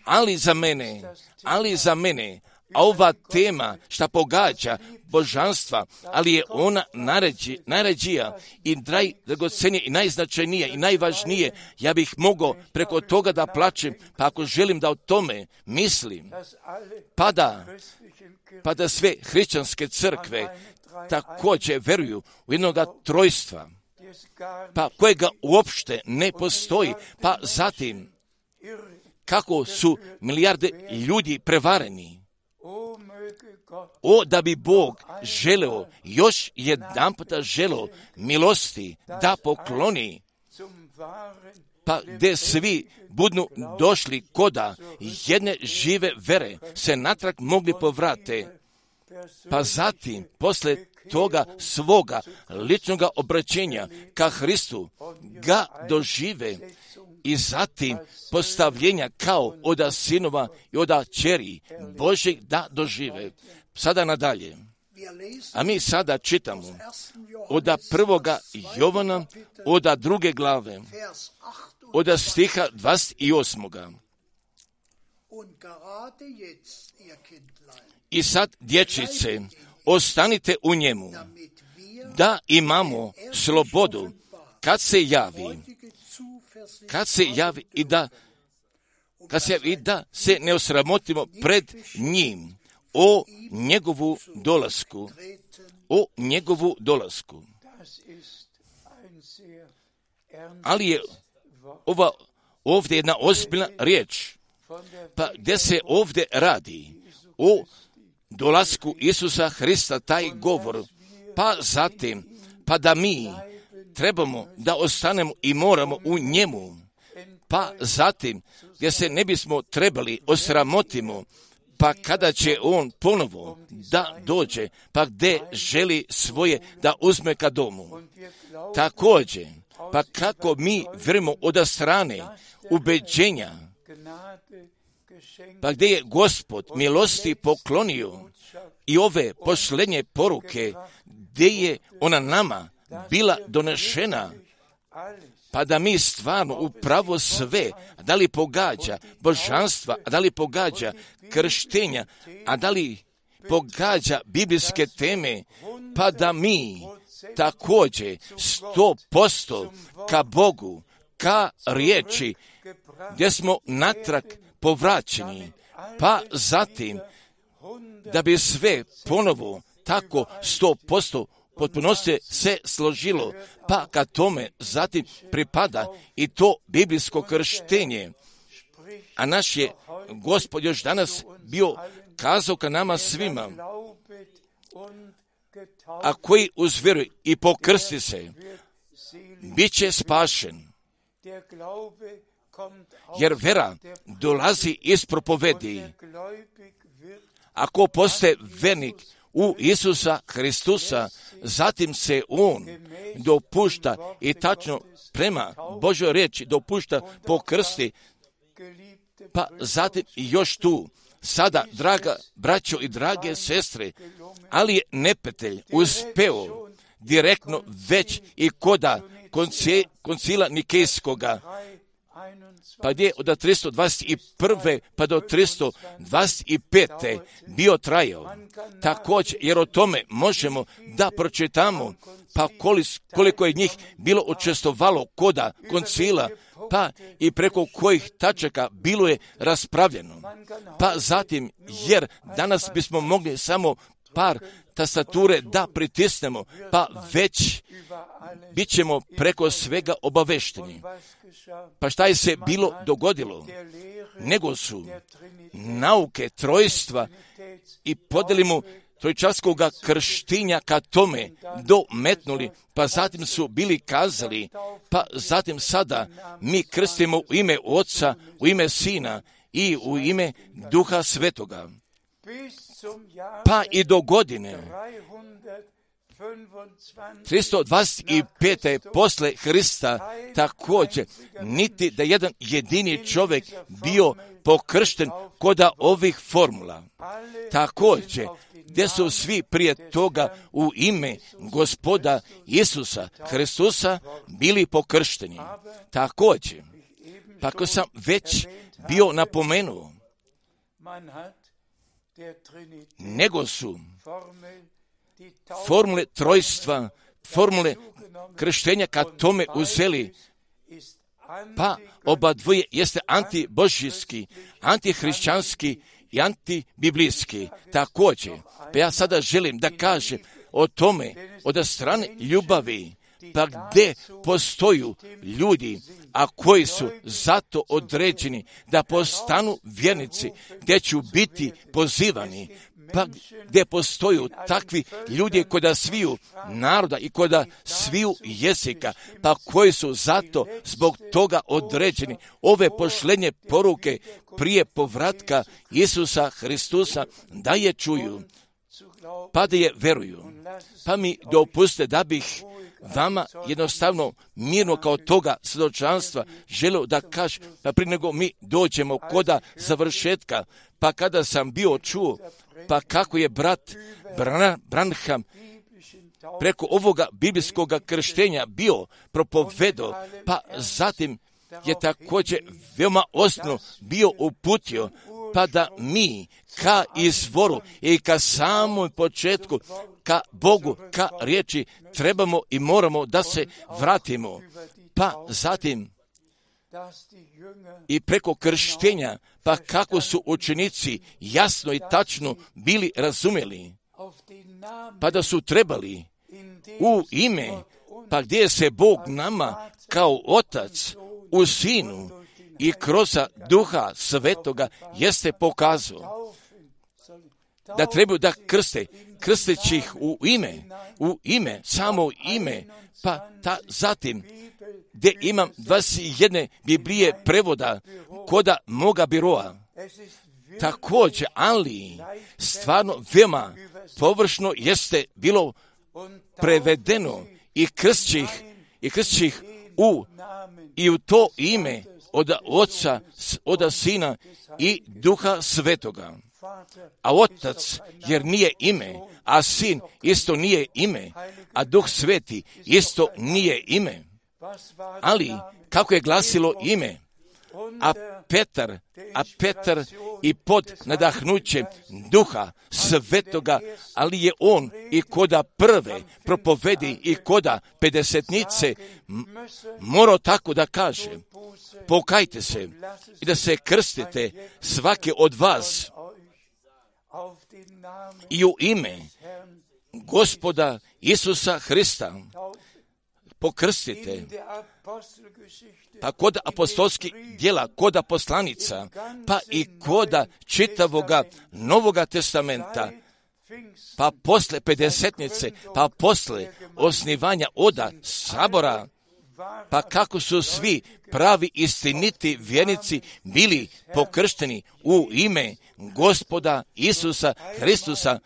Ali za mene, ali za mene, A ova tema šta pogađa božanstva, ali je ona najređi, najređija i najdragocenija i najznačajnija i najvažnije. Ja bih mogao preko toga da plačem, pa ako želim da o tome mislim, pa da, pa da sve hrišćanske crkve također veruju u jednoga trojstva, pa kojega uopšte ne postoji, pa zatim kako su milijarde ljudi prevareni. O, da bi Bog želeo, još jedan puta želeo milosti da pokloni, pa gdje svi budu došli koda jedne žive vere se natrag mogli povrate, pa zatim posle toga svoga ličnoga obraćenja ka Hristu ga dožive i zatim postavljenja kao oda sinova i oda čeri Božeg da dožive. Sada nadalje. A mi sada čitamo oda prvoga Jovana, oda druge glave, oda stiha dvadeset osmoga. I sad, dječice, ostanite u njemu, da imamo slobodu kad se javi, kad se javi i da, kad se javi i da se ne osramotimo pred njim o njegovu dolasku, o njegovu dolasku. Ali je ova ovdje jedna ozbiljna riječ, pa gdje se ovdje radi o dolasku Isusa Hrista, taj govor, pa zatim, pa da mi trebamo da ostanemo i moramo u njemu, pa zatim, gdje se ne bismo trebali osramotimo, pa kada će on ponovo da dođe, pa gdje želi svoje da uzme ka domu. Također, pa kako mi vjerujemo od strane ubeđenja, pa gdje je Gospod milosti poklonio i ove posljednje poruke, gdje je ona nama bila donešena, pa da mi stvarno upravo sve, a da li pogađa božanstva, a da li pogađa krštenja, a da li pogađa biblijske teme, pa da mi također sto posto ka Bogu, ka riječi, gdje smo natrag povraćeni, pa zatim da bi sve ponovo tako sto posto potpunosti se složilo, pa ka tome zatim pripada i to biblijsko krštenje. A naš je Gospod još danas bio kazao ka nama svima, a koji uzvjeruje i pokrsti se, bit će spašen. Jer vera dolazi iz propovedi. Ako postaje vernik u Isusa Hristusa, zatim se on dopušta i tačno prema Božoj riječi dopušta pokrsti, pa zatim još tu, sada, draga braćo i drage sestre, ali je neprijatelj uspeo direktno već i koda koncila Nikejskoga, pa gdje od tristo dvadeset prve pa do tristo dvadeset pete bio trajao. Također, jer o tome možemo da pročitamo, pa koliko je njih bilo učestvovalo koda koncila, pa i preko kojih tačaka bilo je raspravljeno. Pa zatim, jer danas bismo mogli samo par tastature da pritisnemo, pa već bit ćemo preko svega obavešteni. Pa šta je se bilo dogodilo? Nego su nauke trojstva i podjelimu trojčarskoga krštinja ka tome dometnuli, pa zatim su bili kazali, pa zatim sada mi krstimo u ime Oca, u ime Sina i u ime Duha Svetoga. Pa i do godine tristo dvadeset pete posle Hrista također, niti da jedan jedini čovjek bio pokršten koda ovih formula. Također, gdje su svi prije toga u ime Gospoda Isusa Hristusa bili pokršteni. Također, pa ko sam već bio napomenuo, nego su formule trojstva, formule krštenja kad tome uzeli, pa oba dvoje jeste antibožijski, antihrišćanski i antibiblijski. Također, pa ja sada želim da kažem o tome od strane ljubavi, pa gdje postoju ljudi, a koji su zato određeni da postanu vjernici, gdje ću biti pozivani, pa gdje postoju takvi ljudi koda sviju naroda i koda sviju jezika, pa koji su zato zbog toga određeni ove pošlenje poruke prije povratka Isusa Hristusa da je čuju, pa da je veruju. Pa mi dopuste da bih vama jednostavno mirno kao toga svjedočanstva želio da kažem, pa prije nego mi dođemo koda završetka, pa kada sam bio čuo, pa kako je brat Branham preko ovoga biblijskog krštenja bio propovedo, pa zatim je također veoma osnovno bio uputio, pa da mi ka izvoru i ka samom početku, ka Bogu, ka riječi trebamo i moramo da se vratimo. Pa zatim i preko krštenja, pa kako su učenici jasno i tačno bili razumjeli, pa da su trebali u ime, pa gdje se Bog nama kao Otac u Sinu i kroz Duha Svetoga jeste pokazao da trebaju da krste, krsteći ih u ime, u ime, samo ime, pa ta zatim gdje imam dvadeset jedne Biblije prevoda koda moga biroa. Također, ali stvarno veoma površno jeste bilo prevedeno i krstćih, i krstćih u, i u to ime od Oca, od Sina i Duha Svetoga. A Otac, jer nije ime, a Sin isto nije ime, a Duh Sveti isto nije ime. Ali, kako je glasilo ime? A Petar, a Petar i pod nadahnućem Duha Svetoga, ali je on i koda prve propovedi i koda pedesetnice morao tako da kaže, pokajte se i da se krstite svake od vas i u ime Gospoda Isusa Hrista pokrstite. Pa kod apostolskih djela, kod poslanica, pa i koda čitavoga Novoga testamenta, pa posle pedesetnice, pa posle osnivanja oda sabora, pa kako su svi pravi istiniti vjernici bili pokršteni u ime Gospoda Isusa Hristusa,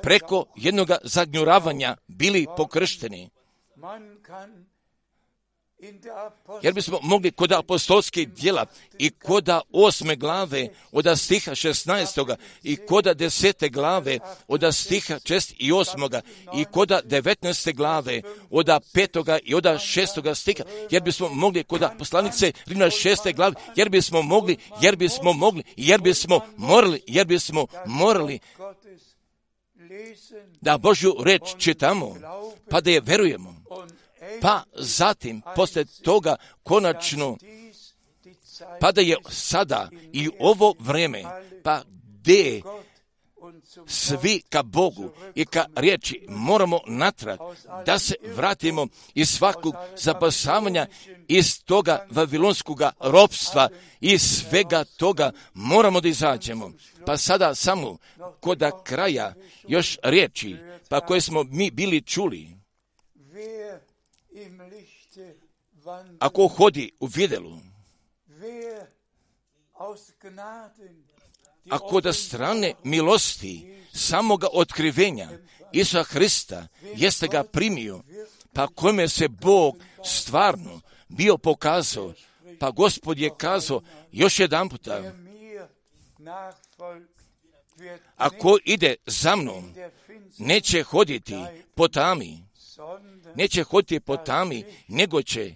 preko jednog zagnjuravanja bili pokršteni. Jer bismo mogli kod apostolskih djela i kod osme glave od stiha šesnaestoga i kod desete glave od stiha šest i osmoga i kod devetnaeste glave od petoga i od šestoga stiha, jer bismo mogli kod poslanice Rimljana šeste glave, jer bismo mogli, jer bismo mogli, jer bismo morali, jer bismo morali da Božju reč čitamo, pa da je verujemo. Pa zatim, poslije toga, konačno, pa da je sada i ovo vrijeme, pa gdje svi ka Bogu i ka riječi moramo natrag, da se vratimo iz svakog zapasavanja, iz toga vavilonskog ropstva i svega toga moramo da izađemo. Pa sada samo kod kraja još riječi, pa koje smo mi bili čuli. Ako hodi u vidjelu, ako da strane milosti samoga otkrivenja Isusa Hrista jeste ga primio, pa kome se Bog stvarno bio pokazao, pa Gospod je kazao još jedan puta, ako ide za mnom, neće hoditi po tami, neće hoditi po tami, nego će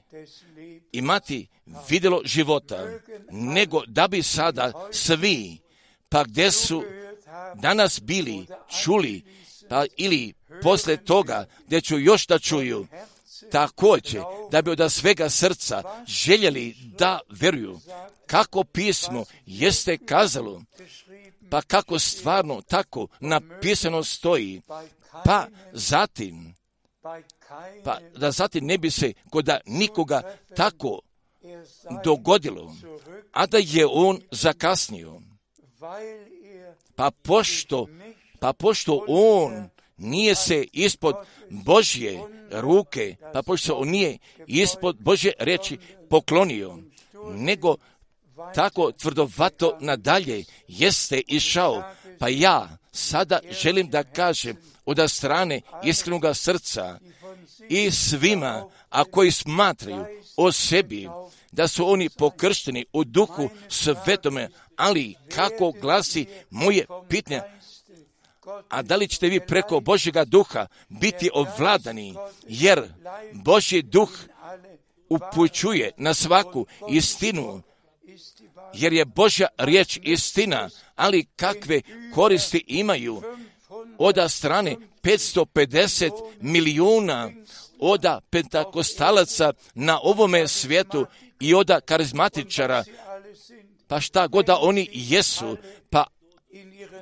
imati vidjelo života, nego da bi sada svi pa gdje su danas bili, čuli, pa ili poslije toga gdje ću još da čuju, također da bi od svega srca željeli da vjeruju kako pismo jeste kazalo, pa kako stvarno tako napisano stoji, pa zatim, pa da zatim ne bi se kod nikoga tako dogodilo, a da je on zakasnio. Pa pošto, pa pošto on nije se ispod Božje ruke, pa pošto on nije ispod Božje riječi poklonio, nego tako tvrdovato nadalje jeste išao, pa ja sada želim da kažem od strane iskrenoga srca i svima, a koji smatraju o sebi da su oni pokršteni u duhu svetome, ali kako glasi moje pitanje, a da li ćete vi preko Božjega duha biti ovladani, jer Božji duh upućuje na svaku istinu, jer je Božja riječ istina, ali kakve koristi imaju od strane petsto pedeset milijuna od pentakostalaca na ovome svijetu i od karizmatičara, pa šta god da oni jesu, pa,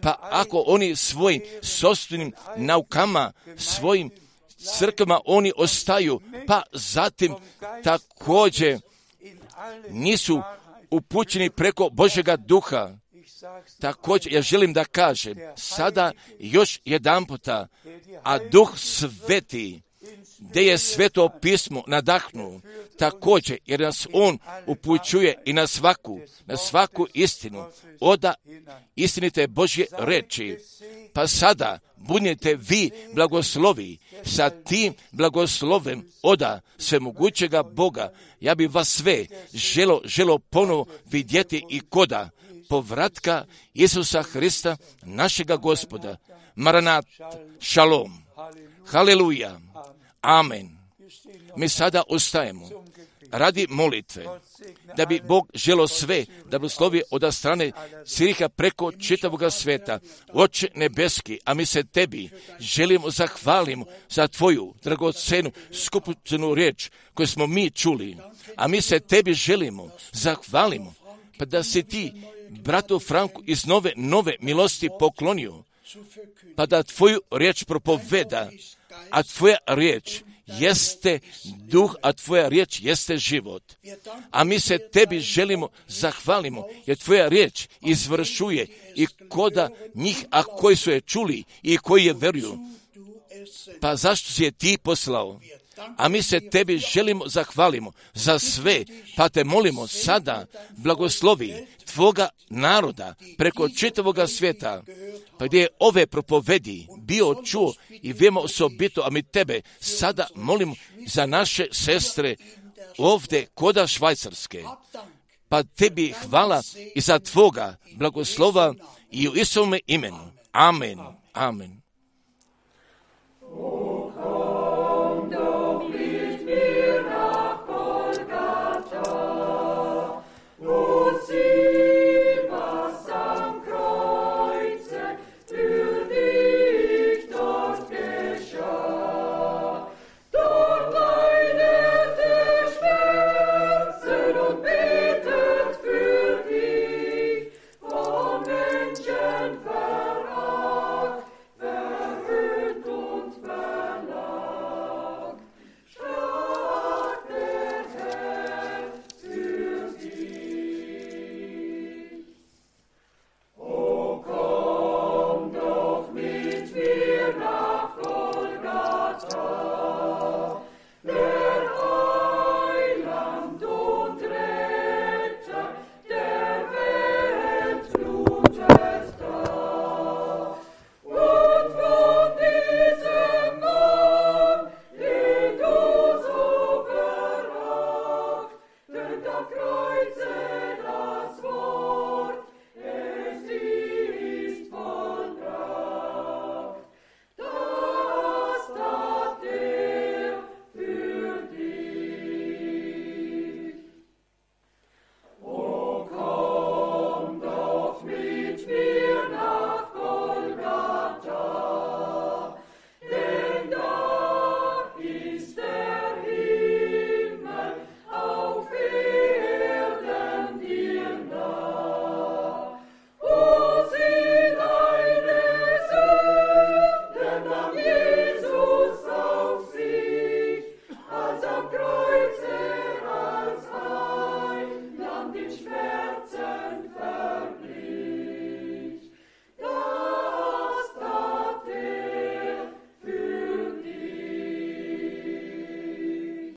pa ako oni svojim sopstvenim naukama, svojim crkvama oni ostaju, pa zatim također nisu upućeni preko Božjega duha. Također, ja želim da kažem sada još jedan puta, a Duh Sveti, gdje je Sveto pismo nadahnuo, također, jer nas on upućuje i na svaku, na svaku istinu, oda istinite Božje reči. Pa sada budite vi blagoslovi sa tim blagoslovem oda svemogućega Boga. Ja bi vas sve želo, želo ponovo vidjeti i koda povratka Isusa Hrista, našega Gospoda. Maranat, šalom, haleluja, amen. Mi sada ostajemo radi molitve, da bi Bog želo sve da blagoslovi od strane Ciriha preko čitavoga sveta. Oče nebeski, a mi se tebi želimo zahvalimo za tvoju dragocenu skupocenu riječ koju smo mi čuli, a mi se tebi želimo zahvalimo, pa da si ti bratu Franku iz nove, nove milosti poklonio, pa da tvoju riječ propoveda, a tvoja riječ jeste duh, a tvoja riječ jeste život. A mi se tebi želimo zahvalimo, jer tvoja riječ izvršuje i koda njih, a koji su je čuli i koji je veruju. Pa zašto si je ti poslao? A mi se tebi želimo zahvalimo za sve, pa te molimo sada blagoslovi tvoga naroda preko čitavoga svijeta, pa gdje je ove propovedi bio čuo i vemo osobito, a mi tebe sada molimo za naše sestre ovdje koda Švajcarske. Pa tebi hvala i za tvoga blagoslova i u Isovome imenu. Amen. Amen.